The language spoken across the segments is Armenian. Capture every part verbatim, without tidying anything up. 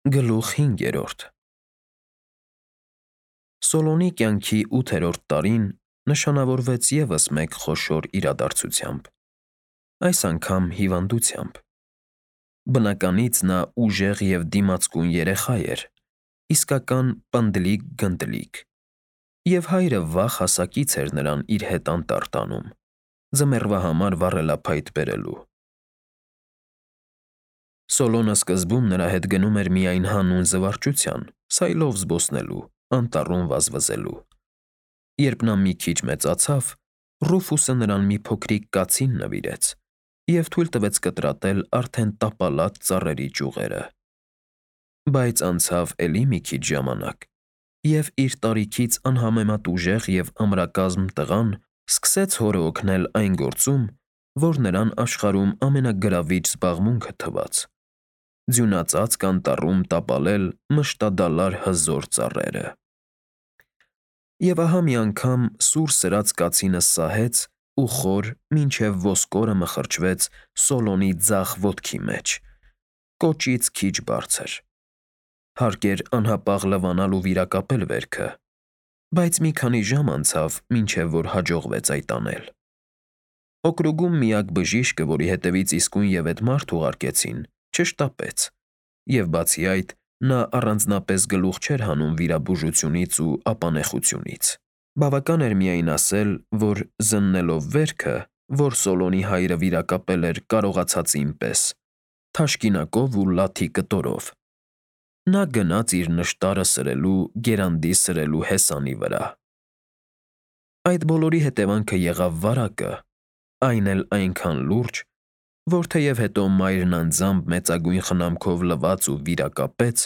Գլուխ հինգերորդ Սոլոնի կյանքի ութերորդ տարին նշանավորվեց ևս մեկ խոշոր իրադարձությամբ, այս անգամ հիվանդությամբ։ Բնականից նա ուժեղ և դիմացկուն երեխա էր, իսկական պնդլիկ֊գնդլիկ, և հայրը վաղ հասակից էր նրան իր հետ անտառ տանում, ձմեռվա համար վառելափայտ բերելու։ Սոլոնը սկզբում նրա հետ գնում էր միայն հանուն զվարճության, սայլով զբոսնելու, անտառում վազվզելու։ Երբ նա մի քիչ մեծացավ, Ռուֆուսը նրան մի փոքրիկ կացին նվիրեց և թույլ տվեց կտրատել արդեն տապալած ծառերի ճյուղերը։ Բայց անցավ էլի մի քիչ ժամանակ, և իր տարիքից անհամեմատ ուժեղ և ամրակազմ տղան սկսեց հորը օգնել այն գործում, որ նրան աշխարհում ամենագրավիչ զբաղմունքը թվաց՝ ձյունածածկ անտառում տապալել մշտադալար հզոր ծառերը։ Եվ ահա մի անգամ սուր սրած կացինը սահեց ու խոր մինչև ոսկորը մխրճվեց Սոլոնի ձախ ոտքի մեջ, կոճից քիչ բարձր։ Հարկ էր անհապաղ լվանալ ու վիրակապել վերքը, բայց մի քանի ժամ անցավ, մինչև որ հաջողվեց այդ անել։ Օկրուգում միակ բժիշկը, որի հետևից իսկույնևեթ մարդ ուղարկեցին, չշտապեց, և բացի այդ, նա առանձնապես գլուխ չէր հանում վիրաբուժությունից ու ապանեխությունից։ Բավական էր միայն ասել, որ զննելով վերքը, որ Սոլոնի հայրը վիրակապել էր կարողացածին պես, թաշկինակով ու լաթի կտորով, նա գնաց իր նշտարը սրելու գերանդի սրելու հեսանի վրա։ Այդ բոլորի հետևանքը եղավ վարակը, այն էլ այնքան լուրջ, որ թեև հետո մայրն անձամբ մեծագույն խնամքով լվաց ու վիրակապեց,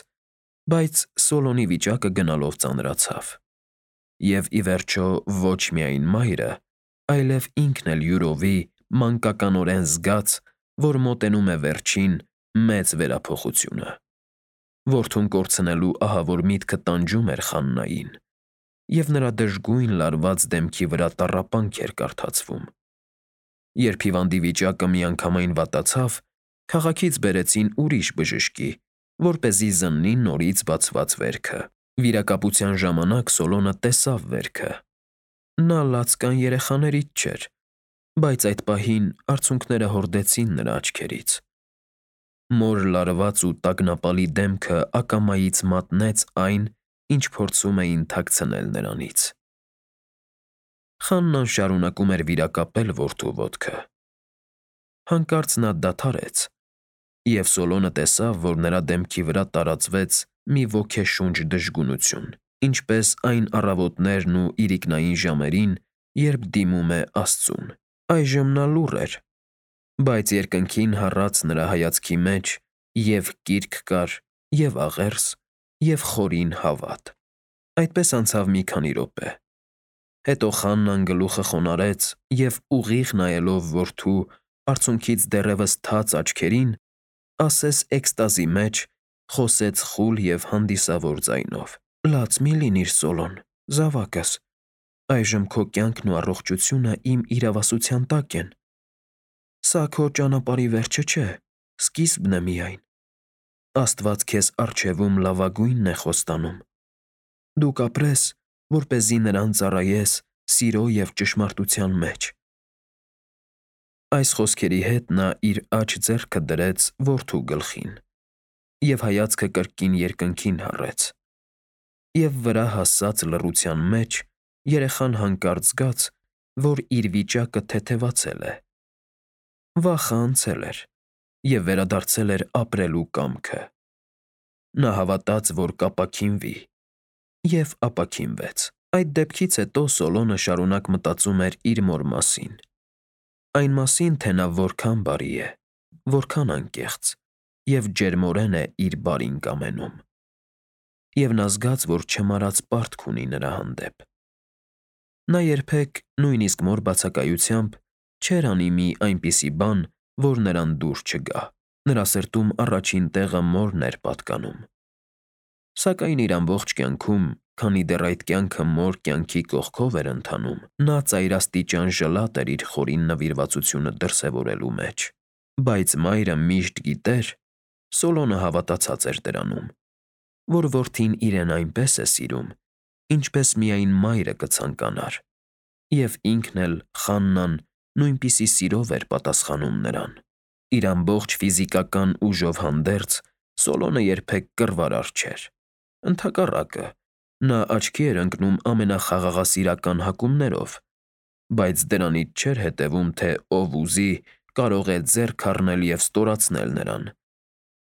բայց Սոլոնի վիճակը գնալով ծանրացավ։ Եվ, ի վերջո, ոչ միայն մայրը, այլև ինքն էլ յուրովի մանկականորեն զգաց, որ մոտենում է վերջին, մեծ վերափոխությունը։ Որդուն կորցնելու ահավոր միտքը տանջում էր Խաննային, և նրա դժգույն լարված դեմքի վրա տառապանք էր կարդացվում։ Երբ հիվանդի վիճակը միանգամայն վատացավ, քաղաքից բերեցին ուրիշ բժշկի, որպեսզի զննի նորից բացված վերքը։ Վիրակապության ժամանակ Սոլոնը տեսավ վերքը։ Նա լացկան երեխաներից չէր, բայց այդ պահին արցունքները հորդեցին նրա աչքերից։ Մոր լարված ու տագնապալի դեմքը ակամայից մատնեց այն, ինչ փորձում էին թաքցնել նրանից։ Խաննան շարունակում էր վիրակապել որդու ոտքը։ Հանկարծ նա դադարեց, և Սոլոնը տեսավ, որ նրա դեմքի վրա տարածվեց մի ոգեշունչ դժգունություն, ինչպես այն առավոտներն ու իրիկնային ժամերին, երբ դիմում է Աստծուն։ Այժմ նա լուռ էր, բայց երկնքին հառած նրա հայացքի մեջ և՛ կիրք կար, և՛ աղերս, և խորին հավատ։ Այդպես անցավ մի քանի րոպե։ Հետո Խաննան գլուխը խոնարհեց և, ուղիղ նայելով որդու արցունքից դեռևս թաց աչքերին, ասես էքստազի մեջ, խոսեց խուլ և հանդիսավոր ձայնով. «Լաց մի՛ լինիր, Սոլոն, զավակս, այժմ քո կյանքն ու առողջությունը իմ իրավասության տակ են։ Սա քո ճանապարհի վերջը չէ, սկիզբն է միայն։ Աստված քեզ առջևում լավագույնն է խոստանում։ Դու կապրես, որպեսզի նրան ծառայես սիրո և ճշմարտության մեջ»։ Այս խոսքերի հետ նա իր աջ ձեռքը դրեց որդու գլխին և հայացքը կրկին երկնքին հառեց։ Եվ վրա հասած լռության մեջ երեխան հանկարծ զգաց, որ իր վիճակը թեթևացել է։ Վախը անցել էր, և վերադարձել էր ապրելու կամքը։ Նա հավատաց, որ կապաքինվի, և ապաքինվեց։ Այդ դեպքից հետո Սոլոնը շարունակ մտածում էր իր մոր մասին։ Այն մասին, թե նա որքան բարի է, որքան անկեղծ և ջերմորեն է իր բարին կամենում։ Եվ նա զգաց, որ չմարած պարտք ունի նրա հանդեպ։ Նա երբեք, նույնիսկ մոր բացակայությամբ, չէր անի մի այնպիսի բան, որ նրան դուր չգա։ Նրա սրտում առաջին տեղը մորն էր պատկանում։ Սակայն իր ամբողջ կյանքում, քանի դեռ այդ կյանքը մոր կյանքի կողքով էր ընթանում, նա ծայրաստիճան ժլատ էր իր խորին նվիրվածությունը դրսևորելու մեջ։ Բայց մայրը միշտ գիտեր, Սոլոնը հավատացած էր դրանում, որ որդին իրեն այնպես է սիրում, ինչպես միայն մայրը կցանկանար, և ինքն էլ Խաննան նույնպիսի սիրով էր պատասխանում նրան։ Իր ամբողջ ֆիզիկական ուժով հանդերձ Սոլոնը երբեք կռվարար չէր։ Ընդհակառակը, նա աչքի էր ընկնում ամենախաղաղասիրական հակումներով, բայց դրանից չէր հետևում, թե ով ուզի կարող է ձեռք առնել և ստորացնել նրան։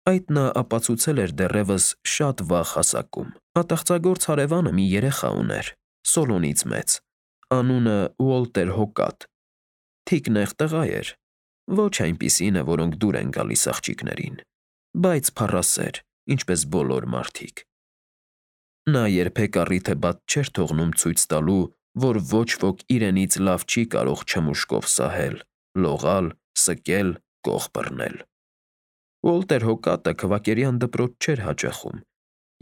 Այդ նա ապացուցել էր դեռևս շատ վաղ հասակում։ Ատաղծագործ հարևանը մի երեխա ուներ, Սոլոնից մեծ, անունը Ուոլտեր Հոկատ։ Թիկնեղ տղա էր, ոչ այնպիսինը, որոնք դուր են գալիս աղջիկներին, բայց փառասեր, ինչպես բոլոր մարդիկ։ Նա երբեք առիթը բաց չէր թողնում ցույց տալու, որ ոչ ոք իրենից լավ չի կարող չմուշկով սահել, լողալ, սկել, կող բռնել։ Ուոլտեր Հոկատը քվակերյան դպրոց չէր հաճախում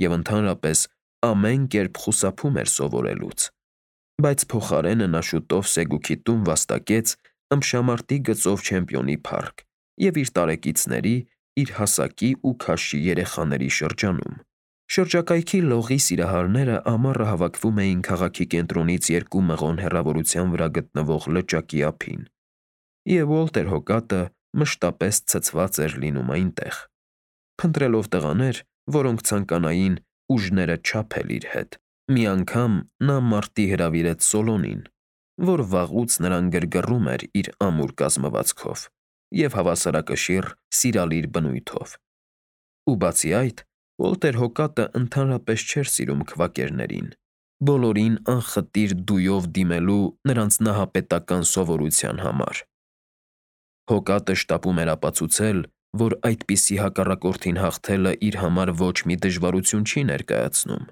և ընդհանրապես ամեն կերպ խուսափում էր սովորելուց, բայց փոխարենը նա շուտով Սեգուքի տուն վաստակեց ըմբշամարտի գծով չեմպիոնի փառք և իր տարեկիցների, իր հասակի ու քաշի երեխաների շրջանում։ Շրջակայքի լողի սիրահարները ամառը հավաքվում էին քաղաքի կենտրոնից երկու մղոն հեռավորության վրա գտնվող լճակի ափին, և Ուոլտեր Հոկատը մշտապես ցցված էր լինում այնտեղ, փնտրելով տղաներ, որոնք ցանկանային ուժները չափել իր հետ։ Մի անգամ նա մարտի հրավիրեց Սոլոնին, որ վաղուց նրան գրգռում էր իր ամուր կազմվածքով և հավասարակշիռ սիրալիր բնույթով։ Ու բացի այդ, Ուոլտեր Հոկատը ընդհանրապես չէր սիրում քվակերներին, բոլորին անխտիր դույով դիմելու նրանց նահապետական սովորության համար։ Հոկատը շտապում էր ապացուցել, որ այդպիսի հակառակորդին հաղթելը իր համար ոչ մի դժվարություն չի ներկայացնում։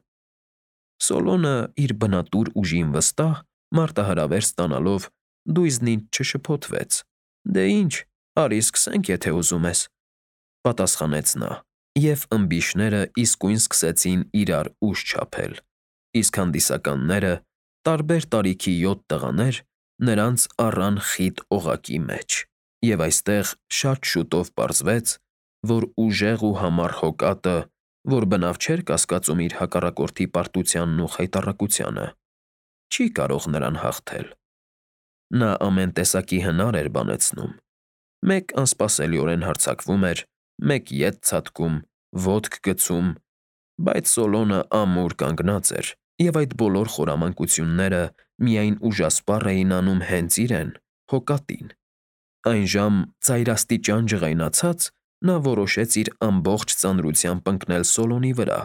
Սոլոնը իր բնատուր ուժին վստահ, մարտահրավեր ստանալով, դույզնից չշփոթվեց։ «Դե ինչ, արի սկսենք, եթե ուզում ես», ֊ պատասխանեց նա, և ըմբիշները իսկույն սկսեցին իրար ուժ չափել, իսկ հանդիսականները, տարբեր տարիքի յոթ տղաներ, նրանց առան խիտ օղակի մեջ։ Եվ այստեղ շատ շուտով պարզվեց, որ ուժեղ ու համառ Հոկատը, որ բնավ չէր կասկածում իր հակառակորդի պարտությանն ու խայտառակությանը, չի կարող նրան հաղթել։ Նա ամեն տեսակի հնար էր բանեցնում. մեկ անսպասելիորեն հարձակվում էր, մեկ ետ ցատկում, ոտք գցում, բայց Սոլոնը ամուր կանգնած էր, և այդ բոլոր խորամանկությունները միայն ուժասպառ էին անում հենց իրեն՝ Հոկատին։ Այն ժամ ծայրաստիճան ջղայնացած, նա որոշեց իր ամբողջ ծանրությամբ ընկնել Սոլոնի վրա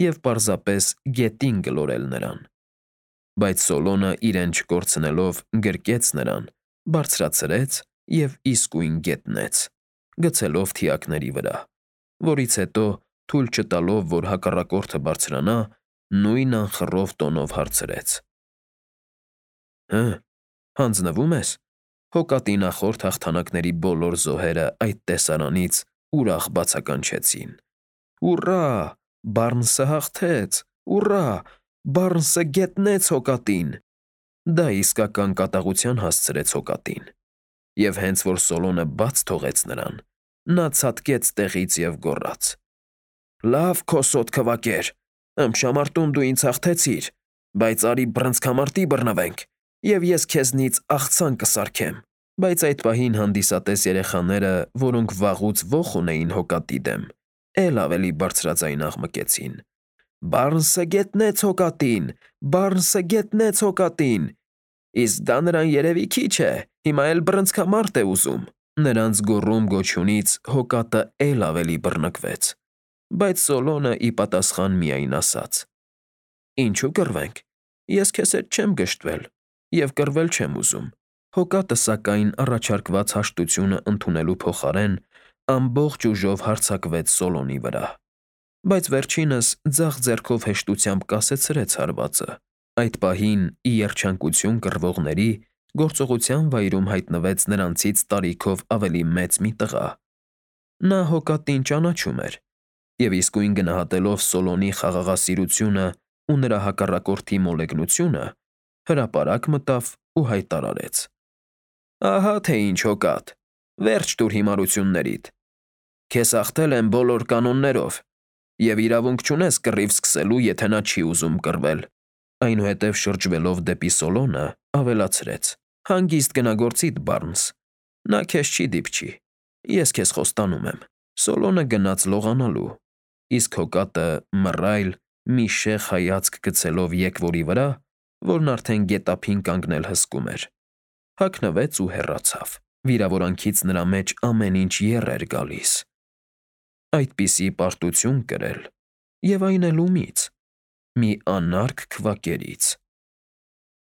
և պարզապես գետին գլորել նրան։ Բայց Սոլոնը իրեն չկորցնելով գրկեց նրան, բարձրացրեց և իսկույն գետնեց, գցելով թիակների վրա, որից հետո, թույլ չտալով, որ հակառակորդը բարձրանա, նույն անխռով տոնով հարցրեց. «Հը, հանձնվո՞ւմ ես»։ Հոկատի նախորդ հաղթանակների բոլոր զոհերը այդ տեսարանից ուրախ բացականչեցին. «Ուռա, Բարնսը հաղթեց, ուռա, Բարնսը գետնեց Հոկատին»։ Դա իսկական կատաղության հասցրեց Հոկատին, և հենց որ Սոլոնը բաց թողեց նրան, նա ցատկեց տեղից և գոռաց. «Լավ, քոսոտ քվակեր, ըմբշամարտում դու ինձ հաղթեցիր, բայց արի բռնցքամարտի բռնվենք, և ես քեզնից աղցան կսարքեմ»։ Բայց այդ պահին հանդիսատես երեխաները, որոնք վաղուց ոխ ունեին Հոկատի դեմ, էլ ավելի բարձրաձայն աղմկեցին. «Բարնսը գետնեց Հոկատին, Բարնսը գետնեց Հոկատին, իսկ դա նրան երևի քիչ է, հիմա էլ բռնցքամարտ է ուզում»։ Նրանց գոռում֊գոչյունից Հոկատը էլ ավելի բռնկվեց, բայց Սոլոնը ի պատասխան միայն ասաց. «Ինչու կռվենք, ես քեզ հետ չեմ գժտվել և կռվել չեմ ուզում»։ Հոկատը, սակայն, առաջարկված հաշտությունը ընդունելու փոխարեն ամբողջ ուժով հարձակվեց Սոլոնի վրա, բայց վերջինս ձախ ձեռքով հեշտությամբ կասեցրեց հարվածը։ Այդ պահին, ի երջանկություն կռվողների, գործողության վայրում հայտնվեց նրանցից տարիքով ավելի մեծ մի տղա։ Նա Հոկատին ճանաչում էր և իսկույն գնահատելով Սոլոնի խաղաղասիրությունը ու նրա հակառակորդի մոլեգնությունը, հրապարակ մտավ ու հայտարարեց. «Ահա թե ինչ, Հոկատ, վերջ տուր հիմարություններիդ։ Քեզ հաղթել եմ բոլոր կանոններով Եվ իրավունք չունես կռիվ սկսելու, եթե նա չի ուզում կռվել։ Այնուհետև շրջվելով դեպի Սոլոնը, ավելացրեց. Հանգիստ գնա գործիդ, Բարնս։ Նա քեզ չի դիպչի։ Ես քեզ խոստանում եմ։ Սոլոնը գնաց լողանալու, իսկ հոկատը մռայլ մի շեղ հայացք գցելով եկվորի վրա, որն արդեն գետափին կանգնել հսկում էր, հագնվեց ու հեռացավ։ Վիրավորանքից նրա մեջ ամեն ինչ եռ էր գալիս։ Այդպիսի պարտություն կրել, և այն էլ ումի՞ց։ Մի անարգ քվակերից։